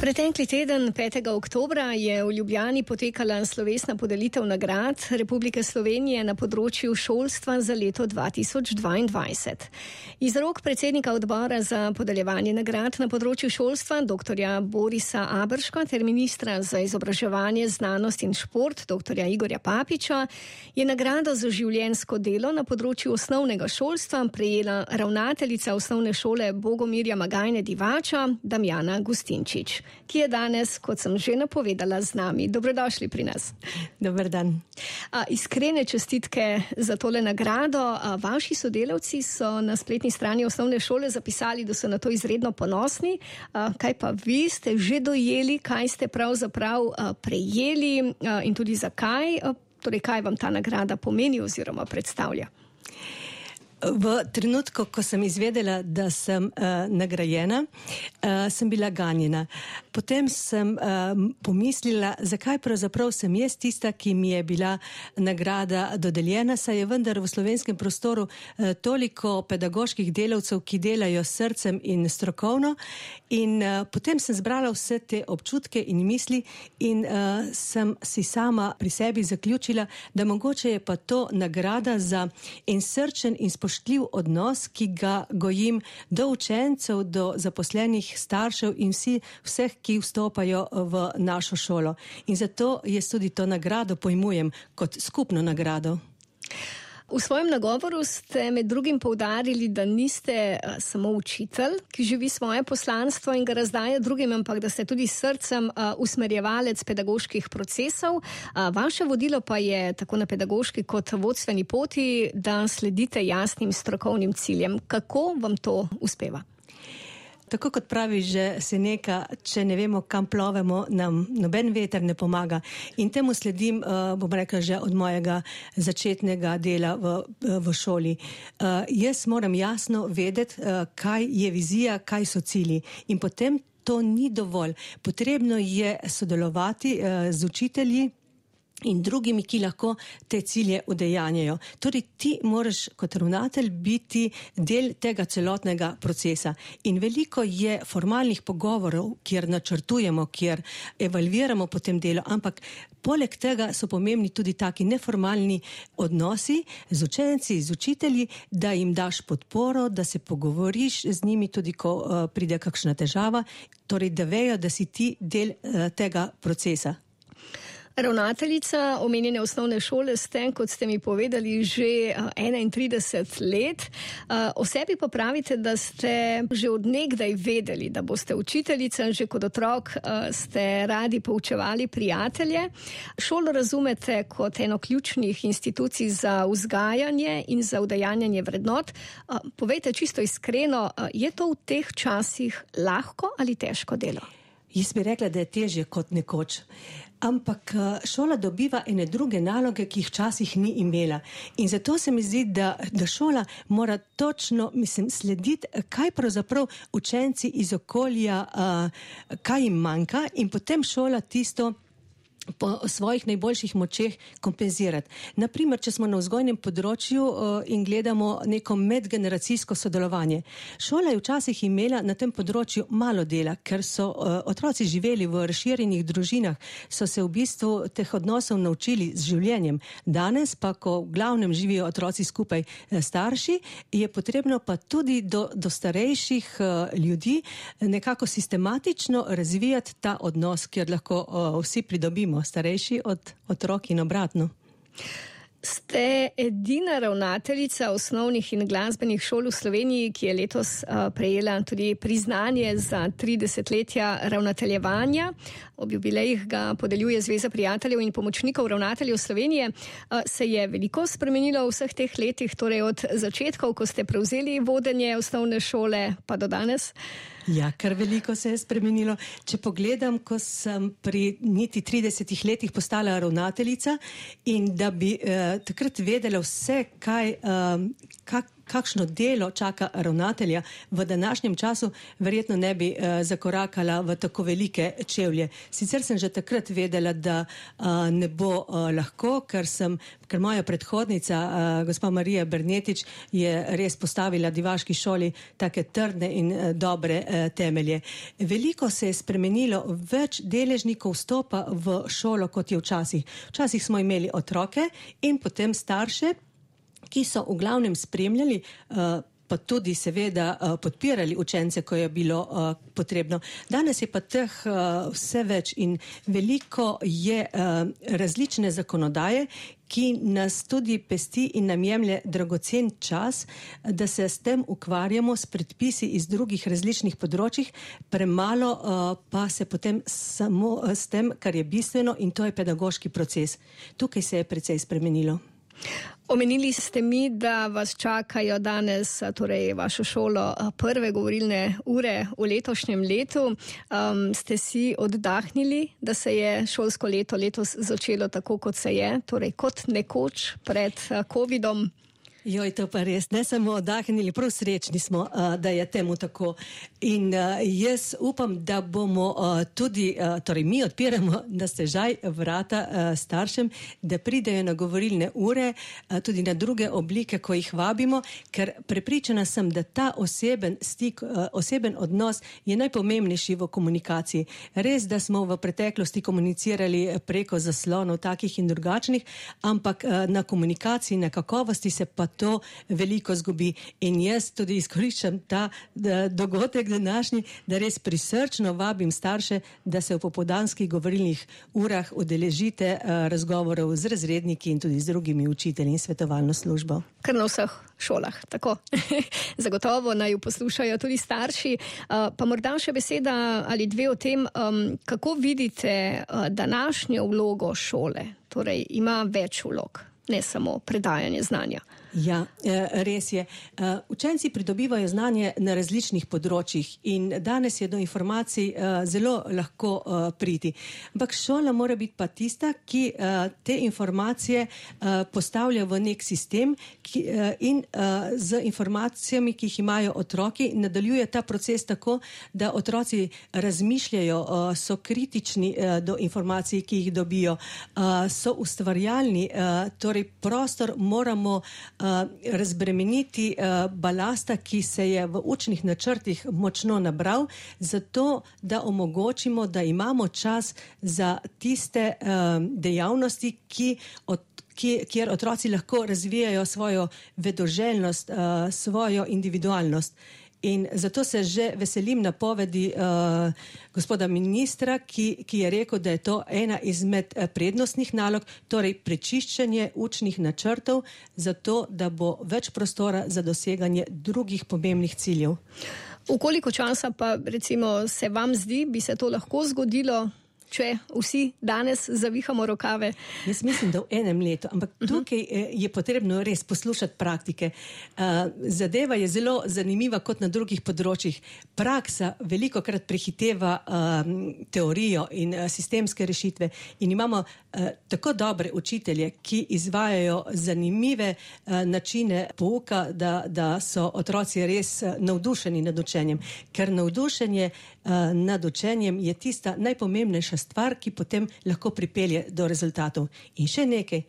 Pretekli teden, 5. oktobra, je v Ljubljani potekala slovesna podelitev nagrad Republike Slovenije na področju šolstva za leto 2022. Iz rok predsednika odbora za podeljevanje nagrad na področju šolstva, dr. Borisa Aberška, ter ministra za izobraževanje, znanost in šport, dr. Igorja Papiča, je nagrado za življenjsko delo na področju osnovnega šolstva prejela ravnateljica osnovne šole Bogomirja Magajne Divača, Damjana Gustinčič, ki je danes, kot sem že napovedala, z nami. Dobrodošli pri nas. Dober dan. Iskrene čestitke za tole nagrado. Vaši sodelavci so na spletni strani osnovne šole zapisali, da so na to izredno ponosni. Kaj pa vi ste že dojeli, kaj ste pravzaprav prejeli in tudi zakaj? Torej, kaj vam ta nagrada pomeni oziroma predstavlja? V trenutku, ko sem izvedela, da sem nagrajena, sem bila ganjena. Potem sem pomislila, zakaj pravzaprav sem jaz tista, ki mi je bila nagrada dodeljena, saj je vendar v slovenskem prostoru toliko pedagoških delavcev, ki delajo s srcem in strokovno. In potem sem zbrala vse te občutke in misli in sem si sama pri sebi zaključila, da mogoče je pa to nagrada za en srčen in spoštljiv odnos, ki ga gojim do učencev, do zaposlenih staršev in vseh, ki vstopajo v našo šolo. In zato jaz tudi to nagrado pojmujem kot skupno nagrado. V svojem nagovoru ste med drugim poudarili, da niste samo učitelj, ki živi svoje poslanstvo in ga razdaja drugim, ampak da ste tudi s srcem usmerjevalec pedagoških procesov. Vaše vodilo pa je tako na pedagoški kot vodstveni poti, da sledite jasnim strokovnim ciljem. Kako vam to uspeva? Tako kot pravi že Seneka, če ne vemo, kam plovemo, nam noben veter ne pomaga. In temu sledim, bom rekla, že od mojega začetnega dela v šoli. Jaz moram jasno vedeti, kaj je vizija, kaj so cilji. In potem to ni dovolj. Potrebno je sodelovati z učitelji in drugimi, ki lahko te cilje udejanjajo. Torej, ti moraš kot ravnatelj biti del tega celotnega procesa. In veliko je formalnih pogovorov, kjer načrtujemo, kjer evalviramo potem delo, ampak poleg tega so pomembni tudi taki neformalni odnosi z učenci, z učitelji, da jim daš podporo, da se pogovoriš z njimi tudi, ko pride kakšna težava, torej, da vejo, da si ti del tega procesa. Ravnateljica omenjene osnovne šole ste, kot ste mi povedali, že 31 let. O sebi pa pravite, da ste že od nekdaj vedeli, da boste učiteljica. Že kot otrok ste radi poučevali prijatelje. Šolo razumete kot eno ključnih institucij za vzgajanje in za udejanjanje vrednot. Povejte čisto iskreno, je to v teh časih lahko ali težko delo? Jaz bi rekla, da je težje kot nekoč. Ampak šola dobiva ene druge naloge, ki jih včasih ni imela. In zato se mi zdi, da šola mora točno, slediti, kaj pravzaprav učenci iz okolja, kaj jim manjka, in potem šola tisto po svojih najboljših močeh kompenzirati. Naprimer, če smo na vzgojnem področju in gledamo neko medgeneracijsko sodelovanje. Šola je včasih imela na tem področju malo dela, ker so otroci živeli v razširjenih družinah, so se v bistvu teh odnosov naučili z življenjem. Danes pa, ko v glavnem živijo otroci skupaj starši, je potrebno pa tudi do starejših ljudi nekako sistematično razvijati ta odnos, kjer lahko vsi pridobimo, starejši od otrok in obratno. Ste edina ravnateljica osnovnih in glasbenih šol v Sloveniji, ki je letos prejela tudi priznanje za 30-letja ravnateljevanja. Ob jubilejih ga podeljuje Zveza prijateljev in pomočnikov ravnateljev Slovenije. Se je veliko spremenilo v vseh teh letih, torej od začetkov, ko ste prevzeli vodenje osnovne šole, pa do danes? Ja, kar veliko se je spremenilo. Če pogledam, ko sem pri niti 30 letih postala ravnateljica in da bi takrat vedela vse, kakšno delo čaka ravnatelja v današnjem času, verjetno ne bi zakorakala v tako velike čevlje. Sicer sem že takrat vedela, da ne bo lahko, ker moja predhodnica, gospa Marija Bernetič, je res postavila Divaški šoli take trdne in dobre temelje. Veliko se je spremenilo, več deležnikov vstopa v šolo, kot je včasih. Včasih smo imeli otroke in potem starše, ki so v glavnem spremljali, pa tudi seveda podpirali učence, ko je bilo potrebno. Danes je pa teh vse več in veliko je različne zakonodaje, ki nas tudi pesti in nam jemlje dragocen čas, da se s tem ukvarjamo s predpisi iz drugih različnih področjih, premalo pa se potem samo s tem, kar je bistveno, in to je pedagoški proces. Tukaj se je precej spremenilo. Omenili ste mi, da vas čakajo danes, torej vašo šolo, prve govorilne ure v letošnjem letu. Ste si oddahnili, da se je šolsko leto letos začelo tako, kot se je, torej kot nekoč pred covidom? Joj, to pa res, ne samo oddahnili, prav srečni smo, da je temu tako. In jaz upam, da bomo tudi, torej mi odpiramo na stežaj vrata staršem, da pridejo na govorilne ure, tudi na druge oblike, ko jih vabimo, ker prepričana sem, da ta oseben stik, oseben odnos je najpomembnejši v komunikaciji. Res, da smo v preteklosti komunicirali preko zaslonov takih in drugačnih, ampak na komunikaciji, na kakovosti se pa to veliko zgubi. In jaz tudi izkoriščam ta dogodek današnji, da res prisrčno vabim starše, da se v popoldanskih govorilnih urah udeležite razgovorov z razredniki in tudi z drugimi učitelji in svetovalno službo. Kar na vseh šolah, tako. Zagotovo naj jo poslušajo tudi starši. Pa morda še beseda ali dve o tem, kako vidite današnjo vlogo šole. Torej, ima več vlog, ne samo predajanje znanja. Ja, res je. Učenci pridobivajo znanje na različnih področjih in danes je do informacij zelo lahko priti. Ampak šola mora biti pa tista, ki te informacije postavlja v nek sistem in z informacijami, ki jih imajo otroki, nadaljuje ta proces tako, da otroci razmišljajo, so kritični do informacij, ki jih dobijo, so ustvarjalni, torej prostor moramo razbremeniti balasta, ki se je v učnih načrtih močno nabral, zato da omogočimo, da imamo čas za tiste dejavnosti, kjer otroci lahko razvijajo svojo vedoželjnost, svojo individualnost. In zato se že veselim napovedi gospoda ministra, ki je rekel, da je to ena izmed prednostnih nalog, torej prečiščenje učnih načrtov, zato da bo več prostora za doseganje drugih pomembnih ciljev. V koliko časa pa recimo se vam zdi, bi se to lahko zgodilo, če vsi danes zavihamo rokave? Jaz mislim, da v enem letu, ampak tukaj je potrebno res poslušati praktike. Zadeva je zelo zanimiva kot na drugih področjih. Praksa velikokrat prehiteva teorijo in sistemske rešitve in imamo tako dobre učitelje, ki izvajajo zanimive načine pouka, da so otroci res navdušeni nad učenjem. Ker navdušenje nad učenjem je tista najpomembnejša stvar, ki potem lahko pripelje do rezultatov. In še nekaj,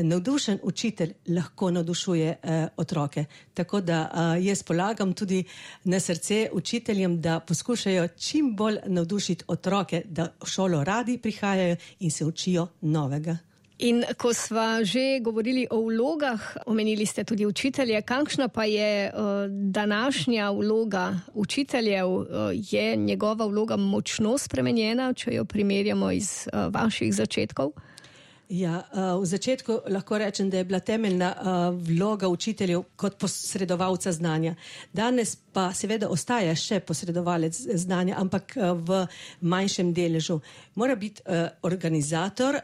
navdušen učitelj lahko navdušuje otroke. Tako da jaz polagam tudi na srce učiteljem, da poskušajo čim bolj navdušiti otroke, da v šolo radi prihajajo in se učijo novega. In ko sva že govorili o vlogah, omenili ste tudi učitelje, kakšna pa je današnja vloga učiteljev? Je njegova vloga močno spremenjena, če jo primerjamo iz vaših začetkov? Ja, v začetku lahko rečem, da je bila temeljna vloga učiteljev kot posredovalca znanja. Danes pa seveda ostaja še posredovalec znanja, ampak v manjšem deležu. Mora biti organizator,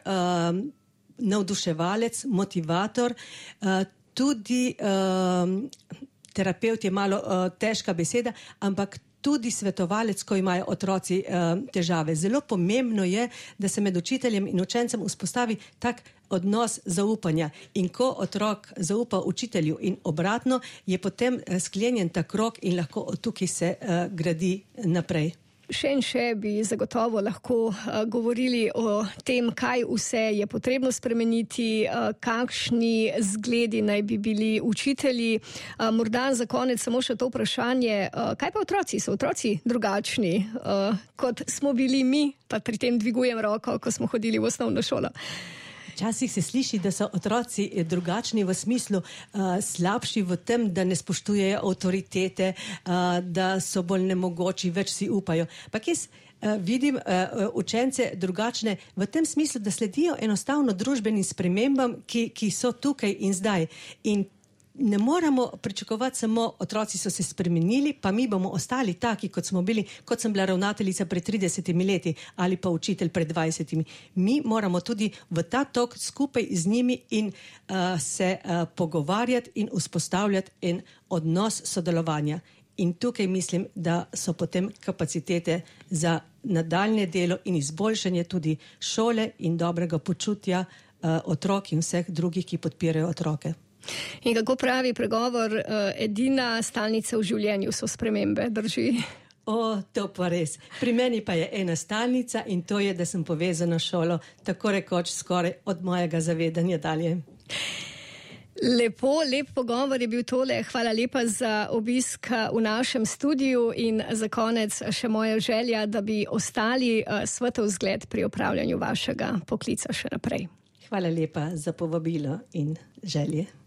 navduševalec, motivator, tudi terapevt je malo težka beseda, ampak tudi svetovalec, ko imajo otroci težave. Zelo pomembno je, da se med učiteljem in učencem vzpostavi tak odnos zaupanja. In ko otrok zaupa učitelju in obratno, je potem sklenjen ta krog in lahko od tukaj se gradi naprej. Še in še bi zagotovo lahko govorili o tem, kaj vse je potrebno spremeniti, kakšni zgledi naj bi bili učitelji. Morda za konec samo še to vprašanje, kaj pa otroci? So otroci drugačni, kot smo bili mi, pa pri tem dvigujem roko, ko smo hodili v osnovno šolo? Včasih se sliši, da so otroci drugačni v smislu slabši v tem, da ne spoštujejo avtoritete, da so bolj nemogoči, več si upajo. Pa jaz vidim učence drugačne v tem smislu, da sledijo enostavno družbenim spremembam, ki so tukaj in zdaj. In ne moramo pričakovati samo otroci so se spremenili, pa mi bomo ostali taki, kot smo bili, kot sem bila ravnateljica pred 30 leti ali pa učitelj pred 20. Mi moramo tudi v ta tok skupaj z njimi in se pogovarjati in vzpostavljati en odnos sodelovanja. In tukaj mislim, da so potem kapacitete za nadaljnje delo in izboljšanje tudi šole in dobrega počutja otrok in vseh drugih, ki podpirajo otroke. In kako pravi pregovor, edina stalnica v življenju so spremembe, drži? To pa res. Pri meni pa je ena stalnica in to je, da sem povezana s šolo, tako rekoč skoraj od mojega zavedanja dalje. Lep pogovor je bil tole. Hvala lepa za obisk v našem studiu in za konec še moja želja, da bi ostali svetov zgled pri opravljanju vašega poklica še naprej. Hvala lepa za povabilo in želje.